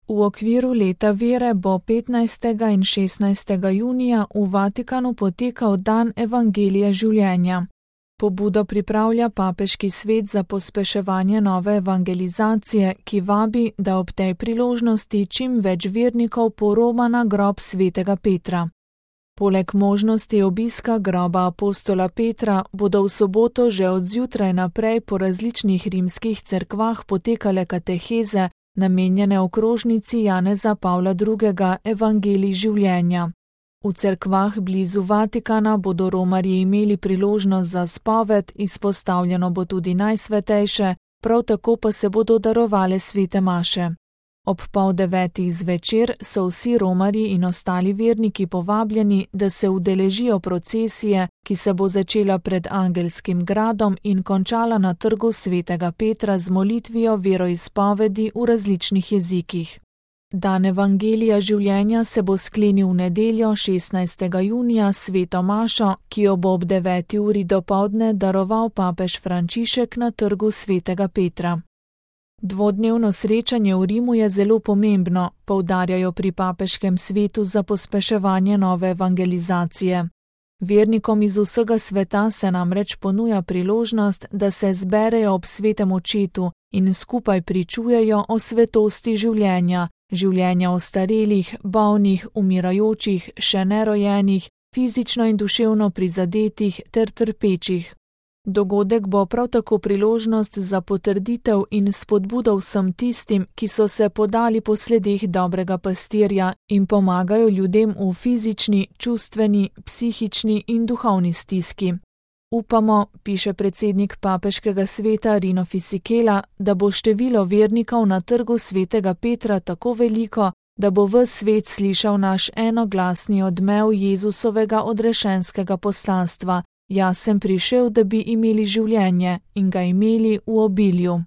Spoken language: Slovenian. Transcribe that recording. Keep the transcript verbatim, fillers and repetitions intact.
V okviru leta vere bo petnajstega in šestnajstega junija v Vatikanu potekal dan Evangelija življenja. Pobudo pripravlja Papeški svet za pospeševanje nove evangelizacije, ki vabi, da ob tej priložnosti čim več vernikov poroma na grob svetega Petra. Poleg možnosti obiska groba apostola Petra bodo v soboto že od zjutraj naprej po različnih rimskih cerkvah potekale kateheze, namenjene okrožnici Janeza Pavla drugega Evangelij življenja. V cerkvah blizu Vatikana bodo romarji imeli priložnost za spoved, izpostavljeno bo tudi najsvetejše, prav tako pa se bodo darovale svete maše. Ob pol devetih zvečer so vsi romarji in ostali verniki povabljeni, da se udeležijo procesije, ki se bo začela pred Angelskim gradom in končala na trgu svetega Petra z molitvijo veroizpovedi v različnih jezikih. Dan Evangelija življenja se bo sklenil v nedeljo šestnajstega junija s sveto mašo, ki jo bo ob deveti uri dopoldne daroval papež Frančišek na trgu svetega Petra. Dvodnevno srečanje v Rimu je zelo pomembno, poudarjajo pri Papeškem svetu za pospeševanje nove evangelizacije. Vernikom iz vsega sveta se namreč ponuja priložnost, da se zberejo ob svetem očetu in skupaj pričujejo o svetosti življenja, življenja ostarelih, bolnih, umirajočih, še nerojenih, fizično in duševno prizadetih ter trpečih. Dogodek bo prav tako priložnost za potrditev in spodbudo vsem tistim, ki so se podali po sledeh dobrega pastirja in pomagajo ljudem v fizični, čustveni, psihični in duhovni stiski. Upamo, piše predsednik Papeškega sveta Rino Fisichella, da bo število vernikov na trgu svetega Petra tako veliko, da bo ves svet slišal naš enoglasni odmev Jezusovega odrešenskega poslanstva: Jaz sem prišel, da bi imeli življenje in ga imeli v obilju.